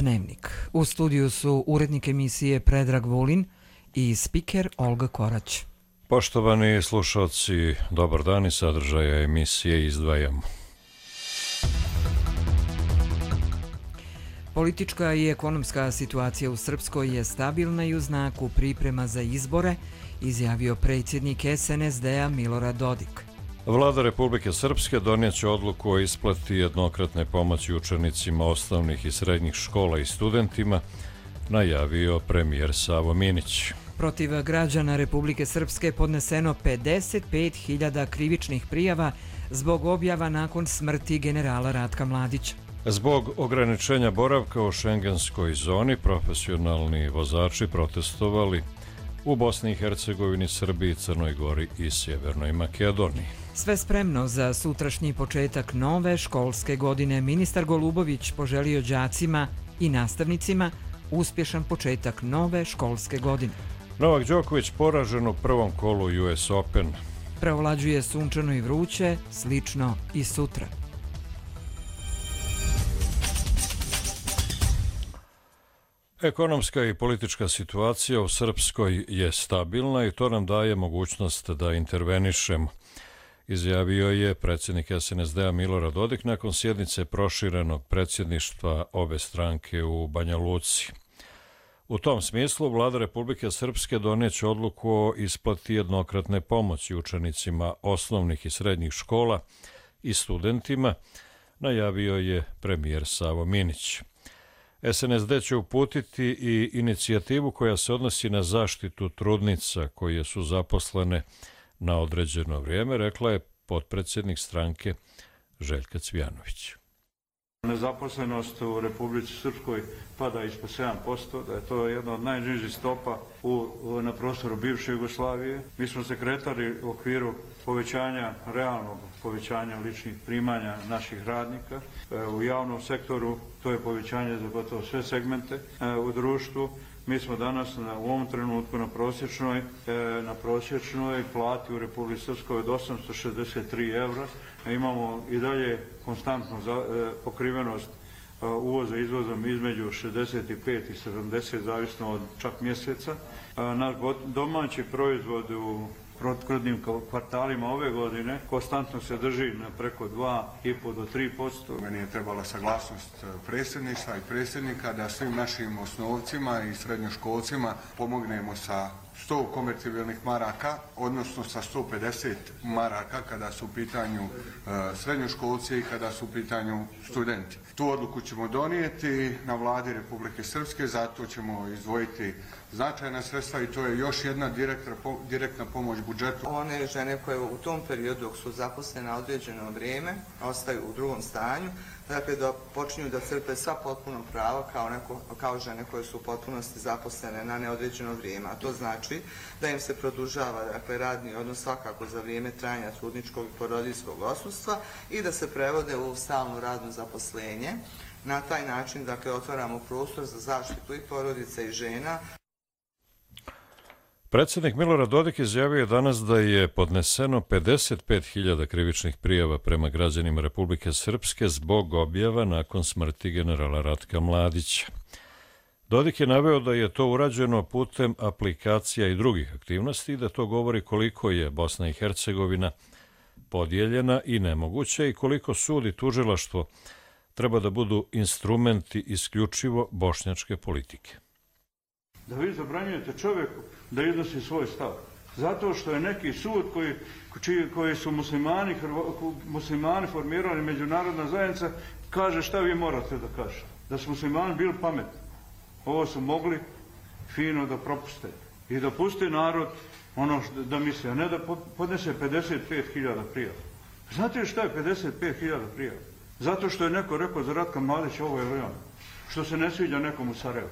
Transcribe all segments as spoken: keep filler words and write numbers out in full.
Dnevnik. U studiju su urednik emisije Predrag Vulin i spiker Olga Korać. Poštovani slušalci, dobar dan i sadržaja emisije izdvajamo. Politička i ekonomska situacija u Srpskoj je stabilna i u znaku priprema za izbore, izjavio predsjednik es en es de a Milorad Dodik. Vlada Republike Srpske donijet će odluku o isplati jednokratne pomoći učenicima osnovnih i srednjih škola i studentima, najavio premijer Savo Minić. Protiv građana Republike Srpske podneseno pedeset pet hiljada krivičnih prijava zbog objava nakon smrti generala Ratka Mladića. Zbog ograničenja boravka u šengenskoj zoni, profesionalni vozači protestovali u Bosni i Hercegovini, Srbiji, Crnoj Gori i Sjevernoj Makedoniji. Sve spremno za sutrašnji početak nove školske godine. Ministar Golubović poželio đacima i nastavnicima uspješan početak nove školske godine. Novak Đoković poražen u prvom kolu U S Open. Preovlađuje sunčano i vruće, slično i sutra. Ekonomska i politička situacija u Srpskoj je stabilna i to nam daje mogućnost da intervenišemo, izjavio je predsjednik es en es de a Milorad Dodik nakon sjednice proširenog predsjedništva obe stranke u Banja Luci. U tom smislu Vlada Republike Srpske donijet će odluku o isplati jednokratne pomoći učenicima osnovnih i srednjih škola i studentima, najavio je premijer Savo Minić. es en es de će uputiti i inicijativu koja se odnosi na zaštitu trudnica koje su zaposlene na određeno vrijeme, rekla je potpredsjednik stranke Željka Cvijanović. Nezaposlenost u Republici Srpskoj pada ispod sedam posto, da je to jedna od najnižih stopa u, na prostoru bivše Jugoslavije. Mi smo se kretali u okviru povećanja, realnog povećanja ličnih primanja naših radnika. U javnom sektoru to je povećanje za gotovo sve segmente u društvu. Mi smo danas na, u ovom trenutku na prosječnoj, na prosječnoj plati u Republici Srpskoj od osamsto šezdeset tri evra. Imamo i dalje konstantnu za, pokrivenost uvoza i izvozom između šezdeset pet i sedamdeset, zavisno od čak mjeseca. Naš domaći proizvod u prethodnim kvartalima ove godine konstantno se drži na preko dva i po do tri posto. Meni je trebala saglasnost predsjedništva i predsjednika da svim našim osnovcima i srednjoškolcima pomognemo sa sto konvertibilnih maraka, odnosno sa sto pedeset maraka kada su u pitanju e, srednjoškolci i kada su u pitanju studenti. Tu odluku ćemo donijeti na vladi Republike Srpske, zato ćemo izdvojiti značajna sredstva i to je još jedna direktna, direktna pomoć budžetu. One žene koje u tom periodu dok su zaposlene na određeno vrijeme ostaju u drugom stanju, dakle da počinju da crpe sva potpuno prava kao, neko, kao žene koje su u potpunosti zaposlene na neodređeno vrijeme. A to znači da im se produžava dakle, radni odnos svakako za vrijeme trajanja trudničkog i porodiljskog odsustva i da se prevode u stalno radno zaposlenje. Na taj način dakle, otvaramo prostor za zaštitu i porodice i žena. Predsjednik Milorad Dodik izjavio je danas da je podneseno pedeset pet hiljada krivičnih prijava prema građanima Republike Srpske zbog objava nakon smrti generala Ratka Mladića. Dodik je naveo da je to urađeno putem aplikacija i drugih aktivnosti i da to govori koliko je Bosna i Hercegovina podijeljena i nemoguća i koliko sud i tužilaštvo treba da budu instrumenti isključivo bošnjačke politike. Da vi zabranjujete čovjeku da iznosi svoj stav. Zato što je neki sud koji, čiji, koji su muslimani, muslimani formirali međunarodna zajednica, kaže šta vi morate da kažete. Da su muslimani bili pametni. Ovo su mogli fino da propuste. I da puste narod ono što, da misle, a ne da podnese pedeset pet hiljada prijava. Znate šta je pedeset pet hiljada prijava? Zato što je neko rekao za Ratka Mladića ovo je ono. Što se ne sviđa nekom u Sarajevu.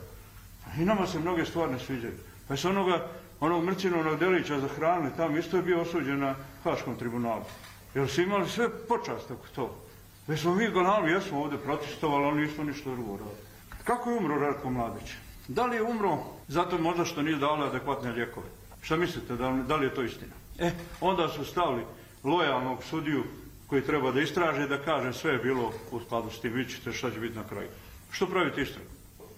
I nama se mnoge stvari ne sviđaju. Pa se onoga, onog Mrcinovog Delića zahranili tamo, isto je bio osuđen na Haškom tribunalu. Jer su imali sve počast oko to. Već smo mi gonali, jesmo ovdje protestovali, ali nismo ništa drugo radili. Kako je umro Ratko Mladić? Da li je umro zato možda što nije dali adekvatne lijekove? Šta mislite, da li, da li je to istina? E, onda su stavili lojalnog sudiju koji treba da istraže, da kaže sve je bilo u skladu s tim, vi ćete šta će biti na kraju. Što pravite istragu?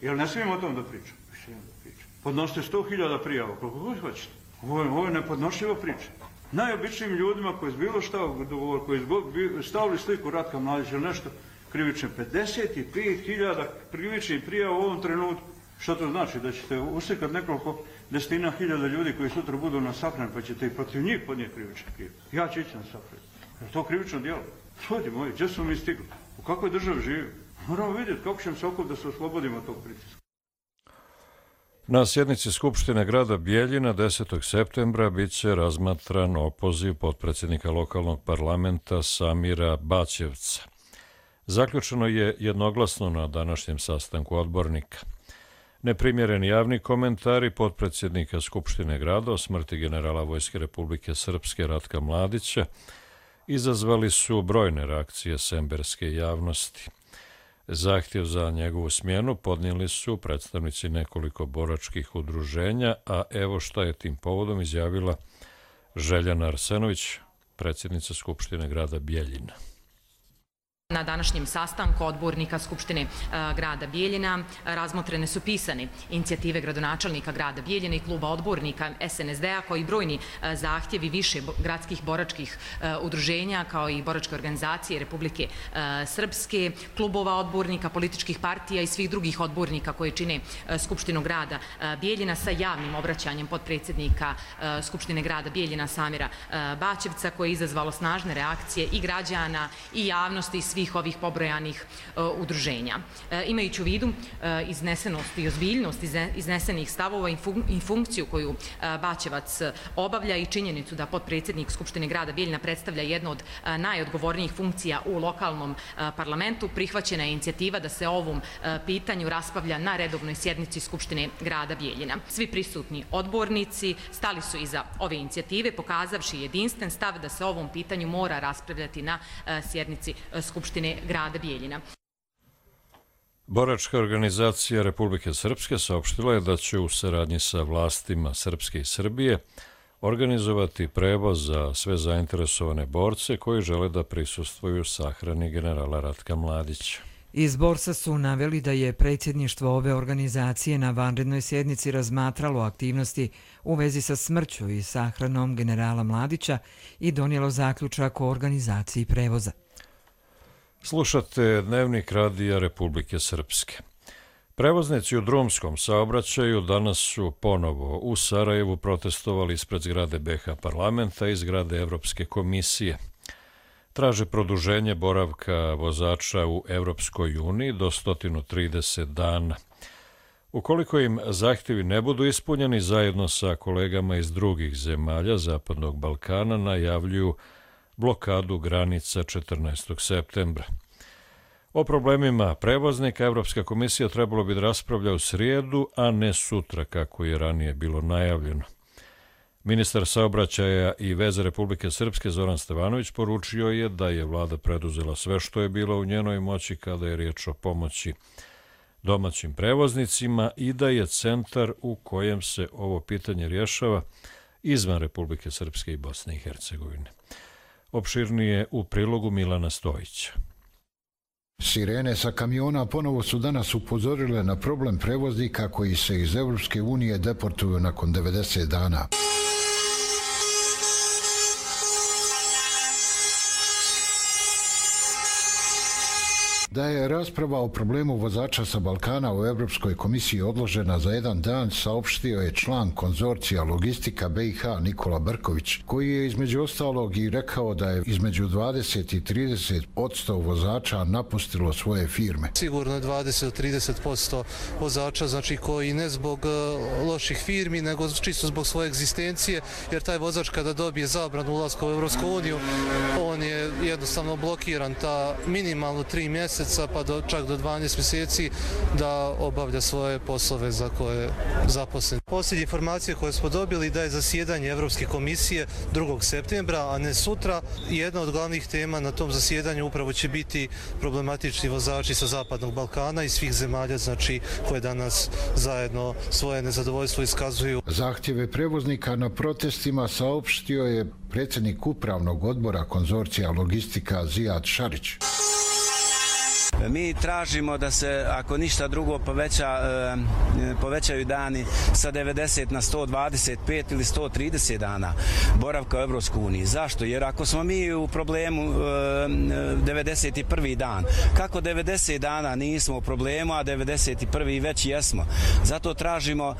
Jel ne smijem o tom da pričam? Smijem da pričam. Podnosite sto hiljada prijava, koliko god hoćete. Ovo je, ovo je nepodnošljiva priča. Najobičnijim ljudima koji je bilo šta dogovor, koji je stavili sliku Ratka Mladića ili nešto, krivične pedeset pet hiljada krivičnih prijava u ovom trenutku. Što to znači? Da ćete uslikati nekoliko desetina hiljada ljudi koji sutra budu na sahran, pa ćete i protiv njih podnijeti krivične prijave. Ja ću ići na sahran. Je to krivično djelo? Ljudi moji, gdje smo mi stigli? U kakvoj državi živimo? Moramo vidjeti kako ćemo se okupiti da se oslobodimo tog pritiska. Na sjednici Skupštine grada Bijeljina desetog septembra bit će razmatran opoziv potpredsjednika lokalnog parlamenta Samira Baćevca. Zaključeno je jednoglasno na današnjem sastanku odbornika. Neprimjereni javni komentari potpredsjednika Skupštine grada o smrti generala Vojske Republike Srpske Ratka Mladića izazvali su brojne reakcije semberske javnosti. Zahtjev za njegovu smjenu podnijeli su predstavnici nekoliko boračkih udruženja, a evo šta je tim povodom izjavila Željana Arsenović, predsjednica Skupštine grada Bijeljina. Na današnjem sastanku odbornika Skupštine grada Bijeljina razmotrene su pisane inicijative gradonačelnika grada Bijeljina i kluba odbornika S N S D-a koji brojni zahtjevi više gradskih boračkih udruženja kao i boračke organizacije Republike Srpske, klubova odbornika, političkih partija i svih drugih odbornika koji čine Skupštinu grada Bijeljina sa javnim obraćanjem potpredsjednika Skupštine grada Bijeljina Samira Baćevca koje je izazvalo snažne reakcije i građana i javnosti i svih ovih pobrojanih uh, udruženja. Uh, imajući u vidu uh, iznesenost i ozbiljnost iznesenih stavova i, fun i funkciju koju uh, Baćevac obavlja i činjenicu da potpredsjednik Skupštine grada Bijeljina predstavlja jednu od uh, najodgovornijih funkcija u lokalnom uh, parlamentu, prihvaćena je inicijativa da se o ovom uh, pitanju raspravlja na redovnoj sjednici Skupštine grada Bijeljina. Svi prisutni odbornici stali su iza ove inicijative, pokazavši jedinstven stav da se o ovom pitanju mora raspravljati na uh, sjednici uh, Skupštine grada Bijeljina. Boračka organizacija Republike Srpske saopštila je da će u saradnji sa vlastima Srpske i Srbije organizovati prevoz za sve zainteresovane borce koji žele da prisustvuju sahrani generala Ratka Mladića. Iz Borsa su naveli da je predsjedništvo ove organizacije na vanrednoj sjednici razmatralo aktivnosti u vezi sa smrću i sahranom generala Mladića i donijelo zaključak o organizaciji prevoza. Slušate Dnevnik radija Republike Srpske. Prevoznici u drumskom saobraćaju danas su ponovo u Sarajevu protestovali ispred zgrade B H parlamenta i zgrade Evropske komisije. Traže produženje boravka vozača u Evropskoj uniji do sto trideset dana. Ukoliko im zahtjevi ne budu ispunjeni, zajedno sa kolegama iz drugih zemalja Zapadnog Balkana najavljuju blokadu granica četrnaestog septembra. O problemima prevoznika Evropska komisija trebalo bi da raspravlja u srijedu, a ne sutra, kako je ranije bilo najavljeno. Ministar saobraćaja i veze Republike Srpske Zoran Stevanović poručio je da je vlada preduzela sve što je bilo u njenoj moći kada je riječ o pomoći domaćim prevoznicima i da je centar u kojem se ovo pitanje rješava izvan Republike Srpske i Bosne i Hercegovine. Opširnije u prilogu Milana Stojića. Sirene sa kamiona ponovo su danas upozorile na problem prevoznika koji se iz Evropske unije deportuju nakon devedeset dana. Da je rasprava o problemu vozača sa Balkana u Evropskoj komisiji odložena za jedan dan, saopštio je član konzorcija Logistika B i H Nikola Brković, koji je između ostalog i rekao da je između dvadeset i trideset posto vozača napustilo svoje firme. Sigurno dvadeset do trideset posto vozača, znači koji ne zbog loših firmi, nego čisto zbog svoje egzistencije, jer taj vozač kada dobije zabranu ulaska u Evropsku uniju, on je jednostavno blokiran ta minimalno tri mjeseca pa do, čak do dvanaest mjeseci da obavlja svoje poslove za koje je zaposlen. Posljednje informacije koje smo dobili da je zasjedanje Evropske komisije drugog septembra, a ne sutra. Jedna od glavnih tema na tom zasjedanju upravo će biti problematični vozači sa Zapadnog Balkana i svih zemalja, znači koje danas zajedno svoje nezadovoljstvo iskazuju. Zahtjeve prevoznika na protestima saopštio je predsjednik upravnog odbora konzorcija Logistika Zijad Šarić. Mi tražimo da se, ako ništa drugo, poveća, povećaju dani sa devedeset na sto dvadeset pet ili sto trideset dana boravka u Evropskoj uniji. Zašto? Jer ako smo mi u problemu devedeset prvi dan, kako devedeset dana nismo u problemu, a devedeset prvi već jesmo. Zato tražimo,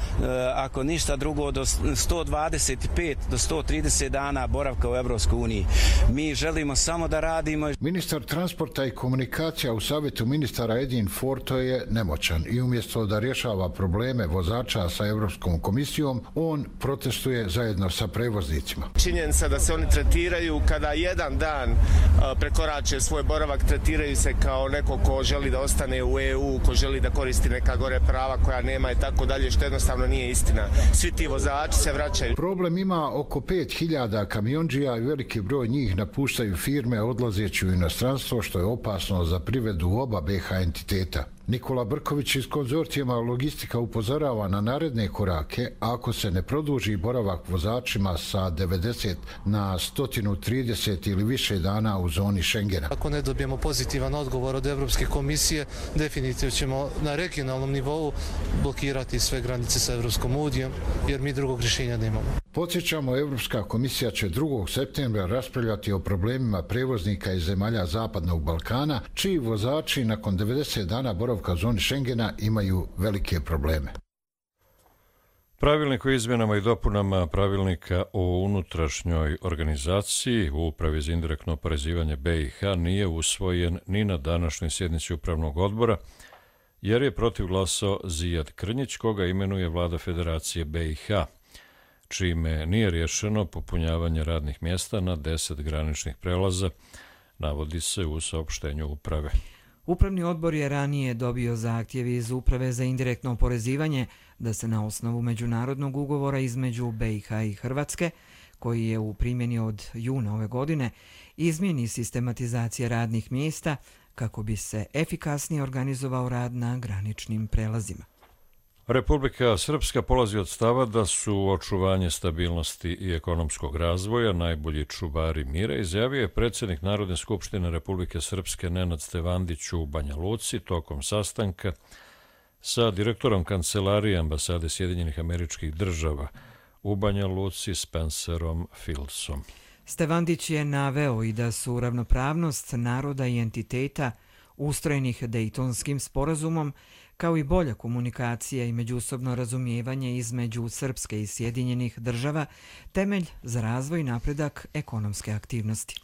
ako ništa drugo, do sto dvadeset pet do sto trideset dana boravka u Evropskoj uniji. Mi želimo samo da radimo. Ministar transporta i komunikacija u Savjetu ministara Edin Forto je nemoćan i umjesto da rješava probleme vozača sa Evropskom komisijom, on protestuje zajedno sa prevoznicima. Činjenica da se oni tretiraju kada jedan dan prekorače svoj boravak, tretiraju se kao neko ko želi da ostane u E U, ko želi da koristi neka gore prava koja nema i tako dalje, što jednostavno nije istina. Svi ti vozači se vraćaju. Problem ima oko pet hiljada kamionđija i veliki broj njih napuštaju firme odlazeći u inostranstvo, što je opasno za privredu oba B H entiteta. Nikola Brković iz konzorcijama Logistika upozorava na naredne korake ako se ne produži boravak vozačima sa devedeset na sto trideset ili više dana u zoni Schengena. Ako ne dobijemo pozitivan odgovor od Evropske komisije, definitivno ćemo na regionalnom nivou blokirati sve granice sa Evropskom unijom, jer mi drugog rješenja nemamo. Podsjećamo, Evropska komisija će drugog septembra raspravljati o problemima prevoznika iz zemalja Zapadnog Balkana, čiji vozači nakon devedeset dana boravka u zoni Schengena imaju velike probleme. Pravilnik o izmjenama i dopunama pravilnika o unutrašnjoj organizaciji u Upravi za indirektno oporezivanje B i H nije usvojen ni na današnjoj sjednici Upravnog odbora, jer je protiv glasao Zijad Krnjić, koga imenuje vlada Federacije B i H, čime nije rješeno popunjavanje radnih mjesta na deset graničnih prelaza, navodi se u saopštenju uprave. Upravni odbor je ranije dobio zahtjev iz Uprave za indirektno oporezivanje da se na osnovu međunarodnog ugovora između B i H i Hrvatske, koji je u primjeni od juna ove godine, izmijeni sistematizacija radnih mjesta kako bi se efikasnije organizovao rad na graničnim prelazima. Republika Srpska polazi od stava da su očuvanje stabilnosti i ekonomskog razvoja najbolji čuvari mira, izjavio je predsjednik Narodne skupštine Republike Srpske Nenad Stevandić u Banja Luci tokom sastanka sa direktorom kancelarije ambasade Sjedinjenih Američkih Država u Banja Luci Spencerom Fieldsom. Stevandić je naveo i da su ravnopravnost naroda i entiteta ustrojenih Dejtonskim sporazumom, kao i bolja komunikacija i međusobno razumijevanje između Srpske i Sjedinjenih Država, temelj za razvoj i napredak ekonomske aktivnosti.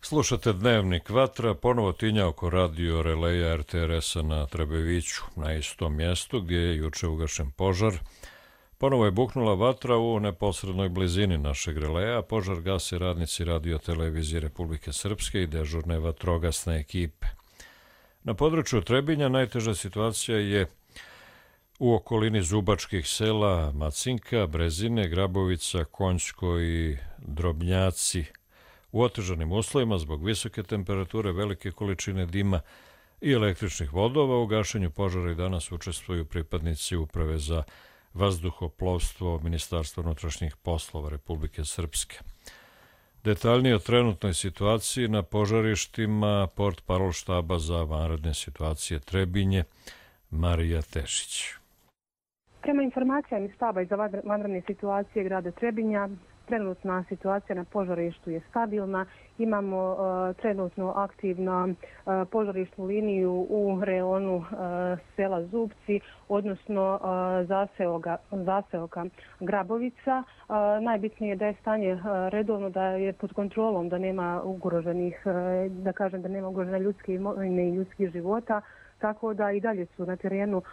Slušate Dnevnik Vatra, ponovo tinja oko radio releja R T R S-a na Trebeviću, na istom mjestu gdje je juče ugašen požar. Ponovo je buknula vatra u neposrednoj blizini našeg releja, požar gase radnici radio televizije Republike Srpske i dežurne vatrogasne ekipe. Na području Trebinja najteža situacija je u okolini Zubačkih sela Macinka, Brezine, Grabovica, Konjsko i Drobnjaci. U otežanim uslovima zbog visoke temperature, velike količine dima i električnih vodova u gašenju požara i danas učestvuju pripadnici Uprave za vazduhoplovstvo Ministarstva unutrašnjih poslova Republike Srpske. Detaljnije o trenutnoj situaciji na požarištima portparol štaba za vanredne situacije Trebinje, Marija Tešić. Prema informacijama iz štaba i za vanredne situacije grada Trebinja, trenutna situacija na požarištu je stabilna. Imamo uh, trenutno aktivnu uh, požarišnu liniju u reonu uh, sela Zubci, odnosno uh, zaseoka, zaseoka Grabovica. Uh, najbitnije je da je stanje uh, redovno, da je pod kontrolom, da nema ugroženih, uh, da kažem da nema ugrožene ljudske imovine i ljudskih života. Tako da i dalje su na terenu uh,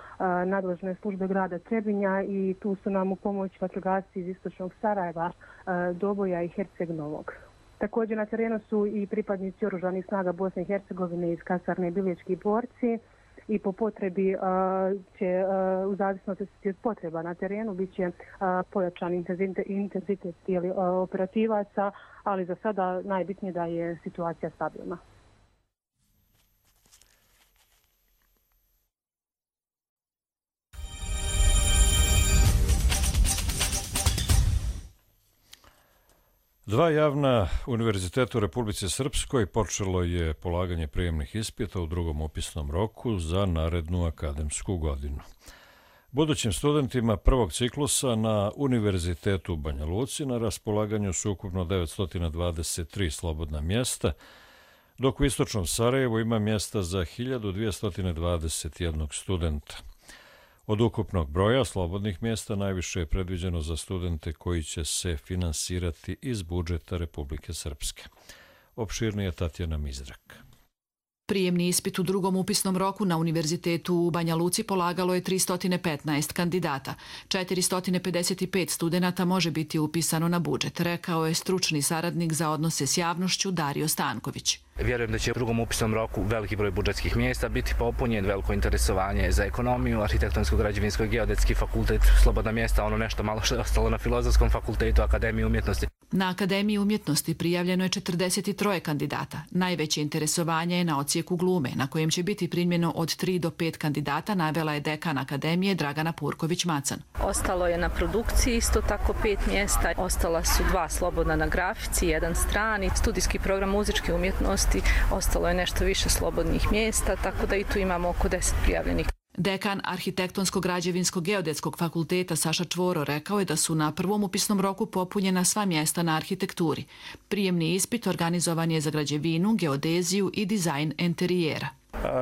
nadležne službe grada Trebinja i tu su nam u pomoć vatrogasci iz istočnog Sarajeva, uh, Doboja i Herceg Novog. Također na terenu su i pripadnici oružanih snaga Bosne i Hercegovine iz kasarne Bilječki borci i po potrebi uh, će, uh, u zavisnosti od potreba na terenu, bit će uh, pojačan intenzitet, intenzitet tijeli, uh, operativaca, ali za sada najbitnije da je situacija stabilna. Dva javna univerziteta u Republici Srpskoj počelo je polaganje prijemnih ispita u drugom upisnom roku za narednu akademsku godinu. Budućim studentima prvog ciklusa na Univerzitetu u Banja Luci na raspolaganju su ukupno devetsto dvadeset tri slobodna mjesta, dok u istočnom Sarajevu ima mjesta za hiljadu dvjesto dvadeset jedan studenta. Od ukupnog broja slobodnih mjesta najviše je predviđeno za studente koji će se finansirati iz budžeta Republike Srpske. Opširnije Tatjana Mizrak. Prijemni ispit u drugom upisnom roku na Univerzitetu u Banja Luci polagalo je tristo petnaest kandidata. četiristo pedeset pet studenata može biti upisano na budžet, rekao je stručni saradnik za odnose s javnošću Dario Stanković. Vjerujem da će u drugom upisnom roku veliki broj budžetskih mjesta biti popunjen, veliko interesovanje za ekonomiju, arhitektonsko-građevinsko i geodetski fakultet, slobodna mjesta, ono nešto malo što je ostalo na Filozofskom fakultetu Akademije umjetnosti. Na Akademiji umjetnosti prijavljeno je četrdeset tri kandidata. Najveće interesovanje je na odsjeku glume, na kojem će biti primljeno od tri do pet kandidata, navela je dekan Akademije Dragana Purković-Macan. Ostalo je na produkciji isto tako pet mjesta, ostala su dva slobodna na grafici, jedan strani, studijski program muzičke umjetnosti, ostalo je nešto više slobodnih mjesta, tako da i tu imamo oko deset prijavljenih. Dekan Arhitektonsko-građevinskog geodetskog fakulteta Saša Čvoro rekao je da su na prvom upisnom roku popunjena sva mjesta na arhitekturi. Prijemni ispit organizovan je za građevinu, geodeziju i dizajn enterijera.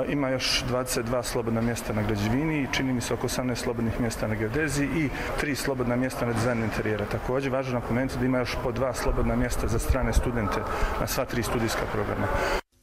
Ima još dvadeset dva slobodna mjesta na građevini i čini mi se oko osamnaest slobodnih mjesta na geodeziji i tri slobodna mjesta na dizajn interijera. Također važno napomenuti da ima još po dva slobodna mjesta za strane studente na sva tri studijska programa.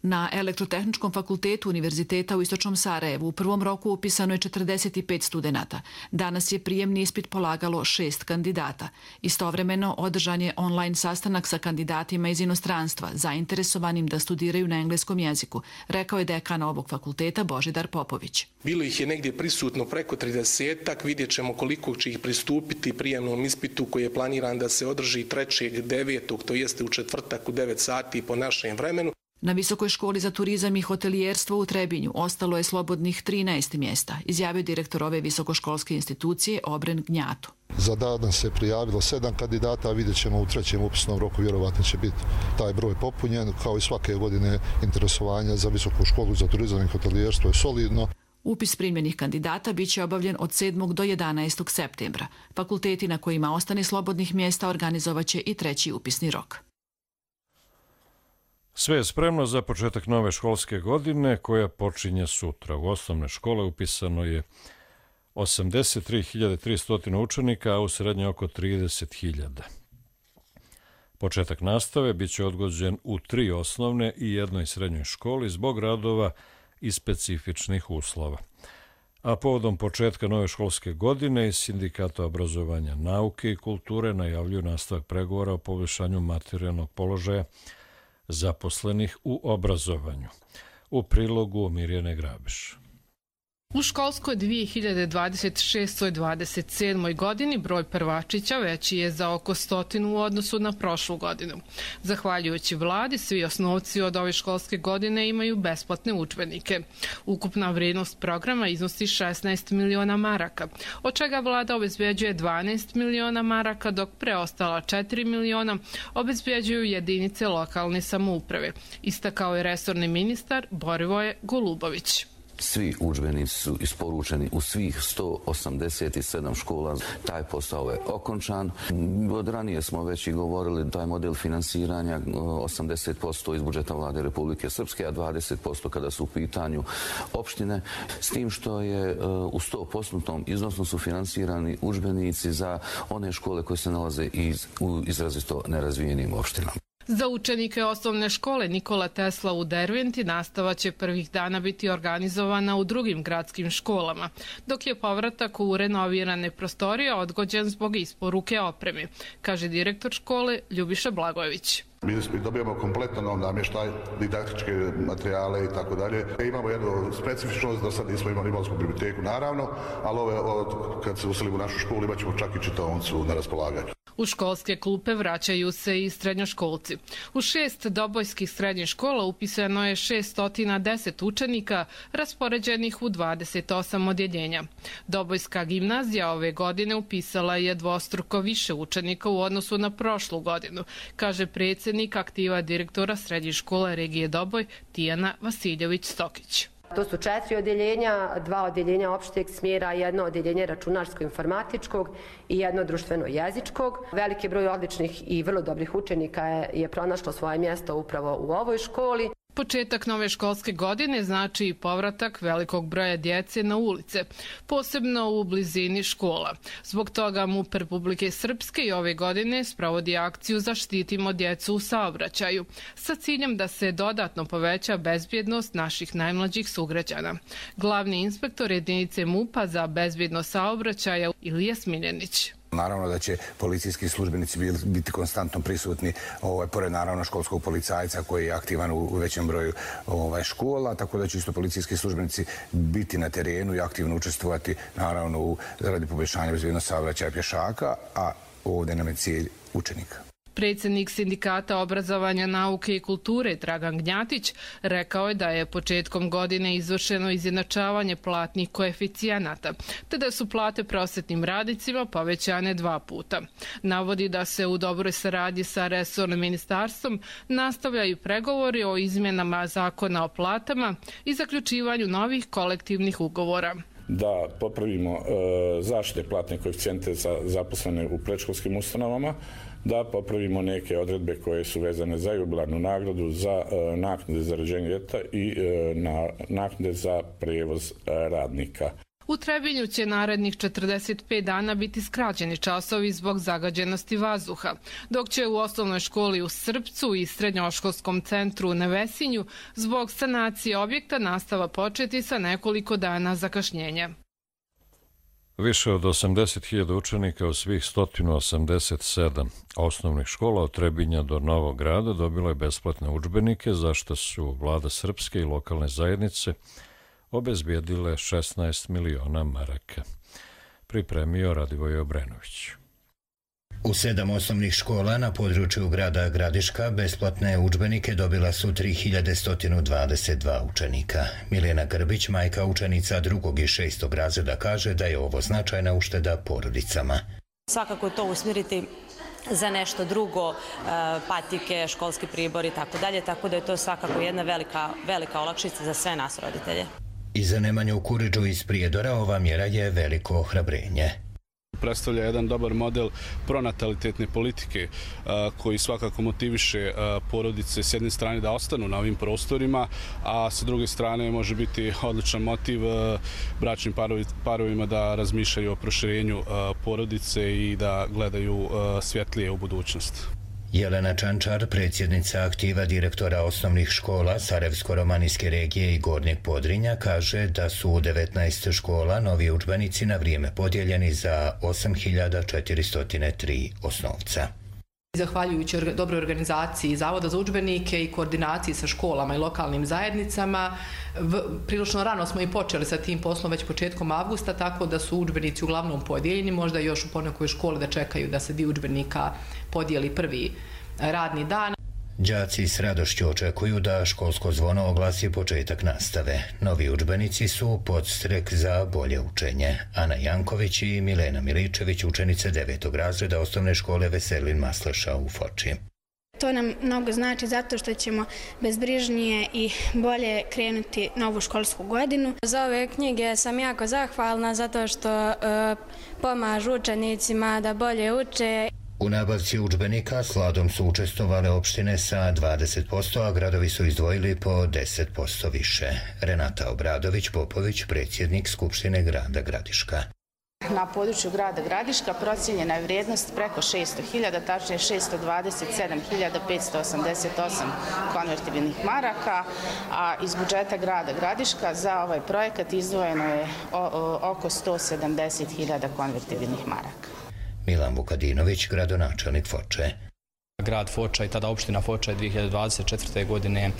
Na Elektrotehničkom fakultetu Univerziteta u Istočnom Sarajevu u prvom roku upisano je četrdeset pet studenata. Danas je prijemni ispit polagalo šest kandidata. Istovremeno održan je online sastanak sa kandidatima iz inostranstva, zainteresovanim da studiraju na engleskom jeziku, rekao je dekan ovog fakulteta Božidar Popović. Bilo ih je negdje prisutno preko tridesetak, vidjet ćemo koliko će ih pristupiti prijemnom ispitu koji je planiran da se održi trećeg devetog, to jeste u četvrtak u devet sati po našem vremenu. Na Visokoj školi za turizam i hotelijerstvo u Trebinju ostalo je slobodnih trinaest mjesta, izjavio direktor ove visokoškolske institucije Obren Gnjatu. Za danas se prijavilo sedam kandidata, a vidjet ćemo u trećem upisnom roku, vjerovatno će biti taj broj popunjen. Kao i svake godine interesovanja za Visoku školu za turizam i hotelijerstvo je solidno. Upis primljenih kandidata bit će obavljen od sedmog do jedanaestog septembra. Fakulteti na kojima ostane slobodnih mjesta organizovat će i treći upisni rok. Sve je spremno za početak nove školske godine koja počinje sutra. U osnovne škole upisano je osamdeset tri hiljade tristo učenika, a u srednje oko trideset hiljada. Početak nastave bit će odgođen u tri osnovne i jednoj srednjoj školi zbog radova i specifičnih uslova. A povodom početka nove školske godine iz Sindikata obrazovanja, nauke i kulture najavljuju nastavak pregovora o poboljšanju materijalnog položaja zaposlenih u obrazovanju. U prilogu Mirjane Grabiš. U školskoj dvije hiljade dvadeset šestoj dvadeset sedmoj godini broj prvačića veći je za oko stotinu u odnosu na prošlu godinu. Zahvaljujući vladi, svi osnovci od ove školske godine imaju besplatne udžbenike. Ukupna vrijednost programa iznosi šesnaest miliona maraka, od čega vlada obezbeđuje dvanaest miliona maraka, dok preostala četiri miliona obezbeđuju jedinice lokalne samouprave, istakao je resorni ministar Borivoje Golubović. Svi udžbenici su isporučeni u svih sto osamdeset sedam škola. Taj posao je okončan. Od ranije smo već i govorili taj model finansiranja osamdeset posto iz budžeta vlade Republike Srpske, a dvadeset posto kada su u pitanju opštine. S tim što je u sto posto iznosno su finansirani udžbenici za one škole koje se nalaze u izrazito nerazvijenim opštinama. Za učenike osnovne škole Nikola Tesla u Derventi nastava će prvih dana biti organizovana u drugim gradskim školama, dok je povratak u renovirane prostorije odgođen zbog isporuke opreme, kaže direktor škole Ljubiša Blagojević. Mi dobijamo kompletno nov namještaj, didaktičke materijale i tako dalje. Imamo jednu specifičnost, do sad nismo imali Imalsku biblioteku naravno, ali ove, od, kad se uselimo u našu školu imat ćemo čak i čitaonicu na raspolaganju. U školske klupe vraćaju se i srednjoškolci. U šest dobojskih srednjih škola upisano je šessto deset učenika raspoređenih u dvadeset osam odjeljenja. Dobojska gimnazija ove godine upisala je dvostruko više učenika u odnosu na prošlu godinu, kaže predsjednik aktiva direktora srednje škole regije Doboj Tijana Vasiljević-Stokić. To su četiri odjeljenja, dva odjeljenja opšteg smjera, jedno odjeljenje računarsko-informatičkog i jedno društveno-jezičkog. Veliki broj odličnih i vrlo dobrih učenika je, je pronašlo svoje mjesto upravo u ovoj školi. Početak nove školske godine znači i povratak velikog broja djece na ulice, posebno u blizini škola. Zbog toga MUP Republike Srpske i ove godine sprovodi akciju Zaštitimo djecu u saobraćaju, sa ciljem da se dodatno poveća bezbjednost naših najmlađih sugrađana. Glavni inspektor jedinice MUP-a za bezbjednost saobraćaja Ilija Smiljanić. Naravno da će policijski službenici biti konstantno prisutni, ovaj, pored naravno školskog policajca koji je aktivan u, u većem broju ovaj, škola, tako da će isto policijski službenici biti na terenu i aktivno učestvovati naravno u radi poboljšanja bezbjednosti saobraćaja pješaka, a ovdje nam je cilj učenika. Predsjednik Sindikata obrazovanja, nauke i kulture Dragan Gnjatić rekao je da je početkom godine izvršeno izjednačavanje platnih koeficijenata, te da su plate prosvetnim radnicima povećane dva puta. Navodi da se u dobroj saradnji sa resornim ministarstvom nastavljaju pregovori o izmjenama zakona o platama i zaključivanju novih kolektivnih ugovora. Da popravimo e, zaštite platne koeficijente za zaposlene u predškolskim ustanovama, da popravimo neke odredbe koje su vezane za jubilarnu nagradu, za e, naknade za rođenje djeteta i e, na, naknade za prijevoz e, radnika. U Trebinju će narednih četrdeset pet dana biti skraćeni časovi zbog zagađenosti vazduha, dok će u osnovnoj školi u Srpcu i srednjoškolskom centru u Nevesinju zbog sanacije objekta nastava početi sa nekoliko dana zakašnjenja. Više od osamdeset hiljada učenika u svih sto osamdeset sedam osnovnih škola od Trebinja do Novog Grada dobilo je besplatne udžbenike, za što su vlada Srpske i lokalne zajednice obezbijedile šesnaest miliona maraka. Pripremio Radivoj Obrenović. U sedam osnovnih škola na području grada Gradiška besplatne udžbenike dobila su tri hiljade sto dvadeset dva učenika. Milena Grbić, majka učenica drugog i šestog razreda, kaže da je ovo značajna ušteda porodicama. Svakako to usmjeriti za nešto drugo, patike, školski pribor i tako dalje, tako da je to svakako jedna velika, velika olakšica za sve nas roditelje. I za Nemanju Kuriđu iz Prijedora ova mjera je veliko ohrabrenje. Predstavlja jedan dobar model pronatalitetne politike koji svakako motiviše porodice s jedne strane da ostanu na ovim prostorima, a sa druge strane može biti odličan motiv bračnim parovima da razmišljaju o proširenju porodice i da gledaju svjetlije u budućnost. Jelena Čančar, predsjednica aktiva direktora osnovnih škola Sarajevsko-romanijske regije i Gornjeg Podrinja, kaže da su u devetnaest škola novi udžbenici na vrijeme podijeljeni za osam hiljada četiristo tri osnovca. Zahvaljujući dobroj organizaciji Zavoda za udžbenike i koordinaciji sa školama i lokalnim zajednicama, prilično rano smo i počeli sa tim poslom već početkom avgusta, tako da su udžbenici uglavnom podijeljeni, možda još u ponekoj školi da čekaju da se dio udžbenika podijeli prvi radni dan. Đaci s radošću očekuju da školsko zvono oglasi početak nastave. Novi udžbenici su podstrek za bolje učenje. Ana Janković i Milena Miličević, učenice devetog razreda osnovne škole Veselin Masleša u Foči. To nam mnogo znači zato što ćemo bezbrižnije i bolje krenuti novu školsku godinu. Za ove knjige sam jako zahvalna zato što e, pomažu učenicima da bolje uče. U nabavci udžbenika sladom su učestvovale opštine sa dvadeset posto, a gradovi su izdvojili po deset posto više. Renata Obradović-Popović, predsjednik Skupštine grada Gradiška. Na području grada Gradiška procijenjena je vrijednost preko šesto hiljada, tačnije šesto dvadeset sedam hiljada petsto osamdeset osam konvertibilnih maraka, a iz budžeta grada Gradiška za ovaj projekat izdvojeno je oko sto sedamdeset hiljada konvertibilnih maraka. Milan Vukadinović, gradonačelnik Foče. Grad Foča i tada opština Foča je dvije hiljade dvadeset četvrte. godine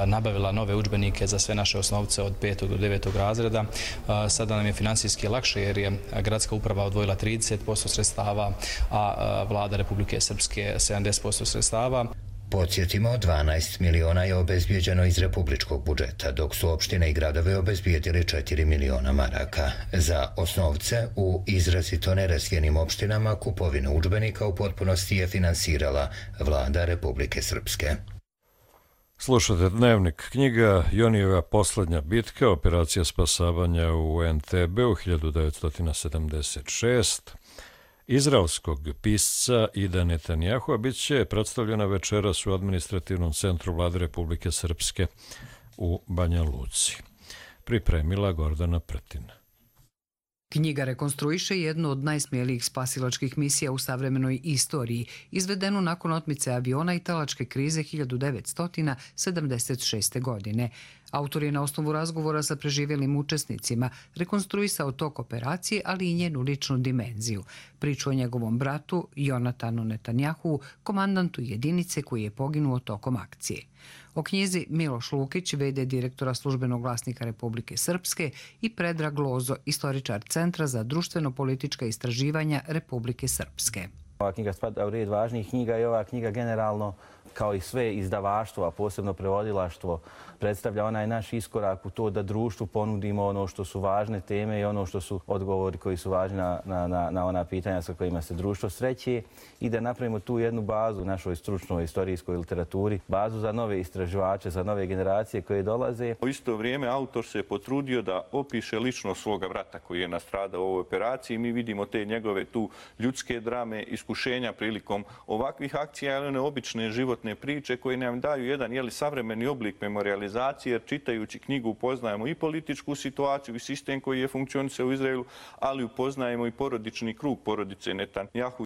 nabavila nove udžbenike za sve naše osnovce od petog do devetog razreda. Sada nam je finansijski lakše jer je gradska uprava odvojila trideset posto sredstava, a vlada Republike Srpske sedamdeset posto sredstava. Podsjetimo, dvanaest miliona je obezbijeđeno iz republičkog budžeta, dok su opštine i gradove obezbijedili četiri miliona maraka. Za osnovce u izrazito nerazvijenim opštinama kupovinu udžbenika u potpunosti je finansirala vlada Republike Srpske. Slušate Dnevnik, knjiga Jonijeva poslednja bitka, operacija spasavanja u Entebeu hiljadu devetsto sedamdeset šeste. Izraelskog pisca Ida Netanjahua bit će predstavljena večeras u administrativnom centru vlade Republike Srpske u Banja Luci. Pripremila Gordana Pretina. Knjiga rekonstruiše jednu od najsmjelijih spasilačkih misija u savremenoj istoriji, izvedenu nakon otmice aviona i talačke krize hiljadu devetsto sedamdeset šeste. godine. Autor je na osnovu razgovora sa preživjelim učesnicima rekonstruisao tok operacije, ali i njenu ličnu dimenziju. Priču o njegovom bratu, Jonatanu Netanjahuu, komandantu jedinice koji je poginuo tokom akcije. O knjizi Miloš Lukić, v d direktora Službenog glasnika Republike Srpske, i Predrag Lozo, istoričar Centra za društveno-politička istraživanja Republike Srpske. Ova knjiga spada u red važnijih knjiga i ova knjiga generalno, kao i sve izdavaštvo, a posebno prevodilaštvo, predstavlja onaj naš iskorak u to da društvu ponudimo ono što su važne teme i ono što su odgovori koji su važni na, na, na ona pitanja sa kojima se društvo sreće i da napravimo tu jednu bazu u našoj stručnoj istorijskoj literaturi, bazu za nove istraživače, za nove generacije koje dolaze. U isto vrijeme autor se potrudio da opiše ličnost svoga brata koji je nastradao u ovoj operaciji. Mi vidimo te njegove tu ljudske drame, iskušenja prilikom ovakvih akcija, ali one obične životne priče koje nam daju jedan jeli, savremeni oblik memorializacije, jer čitajući knjigu upoznajemo i političku situaciju i sistem koji je funkcionisao u Izraelu, ali upoznajemo i porodični krug porodice Netanjahu.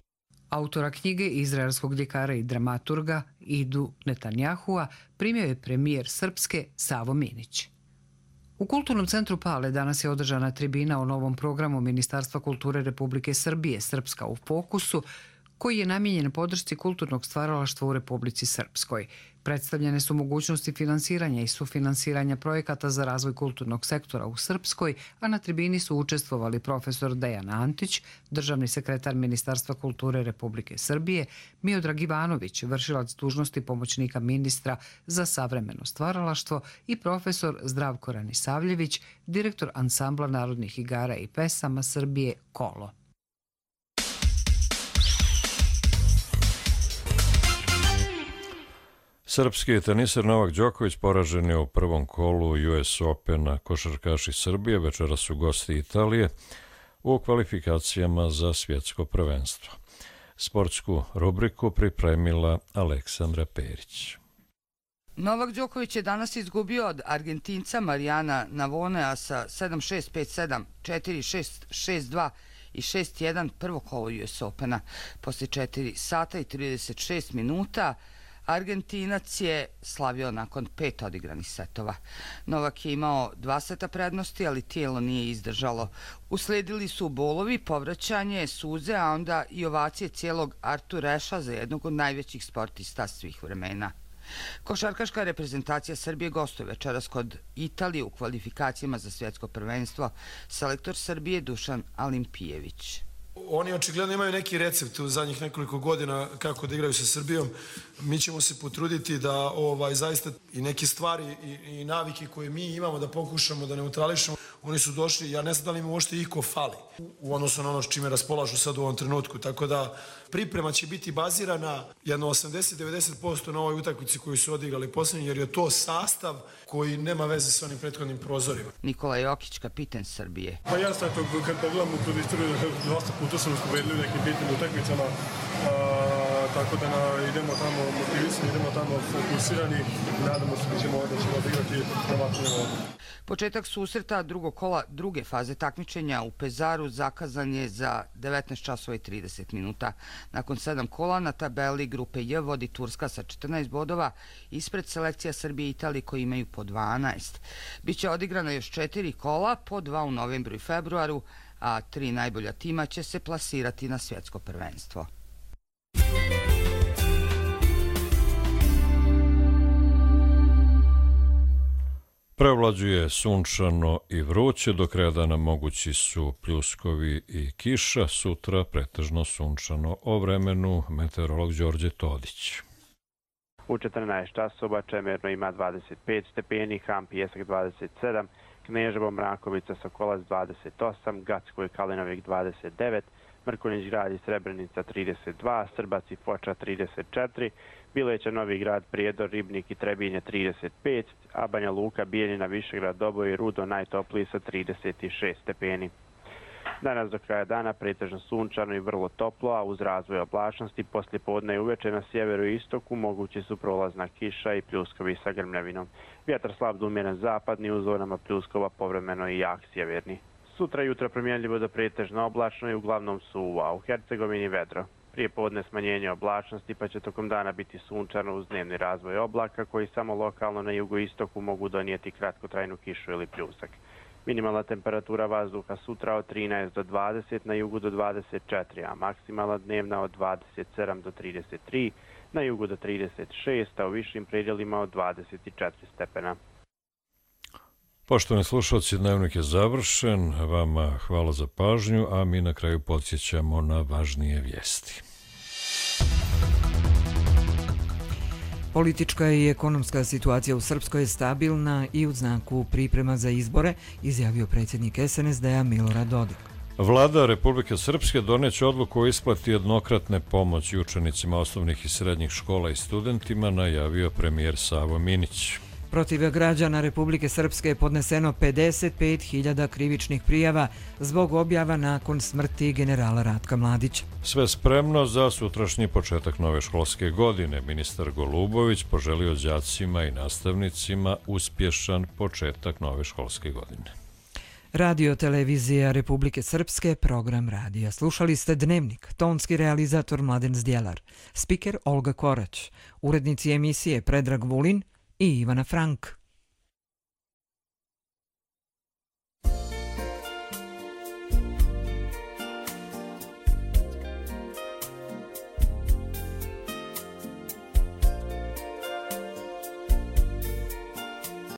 Autora knjige, izraelskog ljekara i dramaturga Idu Netanjahua, primio je premijer Srpske Savo Minić. U Kulturnom centru Pale danas je održana tribina o novom programu Ministarstva kulture Republike Srbije Srpska u fokusu, koji je namijenjen podršci kulturnog stvaralaštva u Republici Srpskoj. Predstavljene su mogućnosti finansiranja i sufinansiranja projekata za razvoj kulturnog sektora u Srpskoj, a na tribini su učestvovali profesor Dejan Antić, državni sekretar Ministarstva kulture Republike Srbije, Miodrag Ivanović, vršilac dužnosti pomoćnika ministra za savremeno stvaralaštvo, i profesor Zdravko Ranisavljević, direktor ansambla narodnih igara i pesama Srbije Kolo. Srpski teniser Novak Đoković poražen je u prvom kolu U S Opena. Košarkaši Srbije večeras su gosti Italije u kvalifikacijama za svjetsko prvenstvo. Sportsku rubriku pripremila Aleksandra Perić. Novak Đoković je danas izgubio od Argentinca Marijana Navonea sa sedam šest, pet sedam, četiri šest, šest dva i šest jedan prvo kolo U S Opena. Posle četiri sata i trideset šest minuta Argentinac je slavio nakon pet odigranih setova. Novak je imao dva seta prednosti, ali tijelo nije izdržalo. Usledili su bolovi, povraćanje, suze, a onda i ovacije cijelog Artur Reša za jednog od najvećih sportista svih vremena. Košarkaška reprezentacija Srbije gostuje večeras kod Italije u kvalifikacijama za svjetsko prvenstvo. Selektor Srbije Dušan Alimpijević. Oni očigledno imaju neki recept u zadnjih nekoliko godina kako da igraju sa Srbijom. Mi ćemo se potruditi da ovaj, zaista i neke stvari i, i navike koje mi imamo da pokušamo da neutrališemo. Oni su došli, ja ne znam da li im uopšte iko fali u odnosu na ono s čime raspolažu sad u ovom trenutku. Tako da priprema će biti bazirana jedno osamdeset do devedeset posto na ovoj utakmici koju su odigrali posljednji, jer je to sastav koji nema veze sa onim prethodnim prozorima. Nikola Jokić, kapiten Srbije. Pa jasno je to, kad pogledamo kroz istoriju, dosta puta smo pobedili u nekim bitnim utakmicama, tako da na, idemo tamo motivisani, idemo tamo fokusirani i nadamo se da ćemo, da ćemo odigrati na ovakvom nivou. Početak susreta drugog kola druge faze takmičenja u Pezaru zakazan je za devetnaest časova i trideset minuta. Nakon sedam kola na tabeli grupe J vodi Turska sa četrnaest bodova, ispred selekcija Srbije i Italije koji imaju po dvanaest. Biće odigrano još četiri kola, po dva u novembru i februaru, a tri najbolja tima će se plasirati na svjetsko prvenstvo. Prevlađuje sunčano i vruće, do kraja dana mogući su pljuskovi i kiša, sutra pretežno sunčano. O vremenu meteorolog Đorđe Todić. U četrnaest časova Čemerno ima dvadeset pet stepeni, Ham Pijesak dvadeset sedam, Kneževo, Mrakovica, Sokolac dvadeset osam, Gacko i Kalinovik dvadeset devet, Mrkonjić grad i Srebrenica trideset dva, Srbac i Foča trideset četiri, Bileća, Novi grad, Prijedor, Ribnik i Trebinje trideset pet, a Banja Luka, Bijeljina, Višegrad, Doboj i Rudo najtopliji sa trideset šest stepeni. Danas do kraja dana pretežno sunčano i vrlo toplo, a uz razvoj oblačnosti poslije podne i uveče na sjeveru i istoku mogući su prolazna kiša i pljuskovi sa grmljavinom. Vjetar slab do umjeren zapadni, u zonama pljuskova povremeno i jak sjeverni. Sutra jutro promjenljivo do pretežno oblačno i uglavnom suvo, a u Hercegovini vedro. Prije podne smanjenje oblačnosti, pa će tokom dana biti sunčano uz dnevni razvoj oblaka koji samo lokalno na jugoistoku mogu donijeti kratkotrajnu kišu ili pljusak. Minimalna temperatura vazduha sutra od trinaest do dvadeset, na jugu do dvadeset četiri, a maksimalna dnevna od dvadeset sedam do trideset tri, na jugu do trideset šest, a u višim predjelima od dvadeset četiri stepena. Poštovani slušalci, dnevnik je završen. Vama hvala za pažnju, a mi na kraju podsjećamo na važnije vijesti. Politička i ekonomska situacija u Srpskoj je stabilna i u znaku priprema za izbore, izjavio predsjednik S N S D-a Milorad Dodik. Vlada Republike Srpske doneće odluku o isplati jednokratne pomoći učenicima osnovnih i srednjih škola i studentima, najavio premijer Savo Minić. Protiv građana Republike Srpske je podneseno pedeset pet hiljada krivičnih prijava zbog objava nakon smrti generala Ratka Mladića. Sve spremno za sutrašnji početak nove školske godine. Ministar Golubović poželio đacima i nastavnicima uspješan početak nove školske godine. Radio Televizija Republike Srpske, program radija. Slušali ste Dnevnik, tonski realizator Mladen Zdjelar, spiker Olga Korać, urednici emisije Predrag Vulin i Ivana Frank.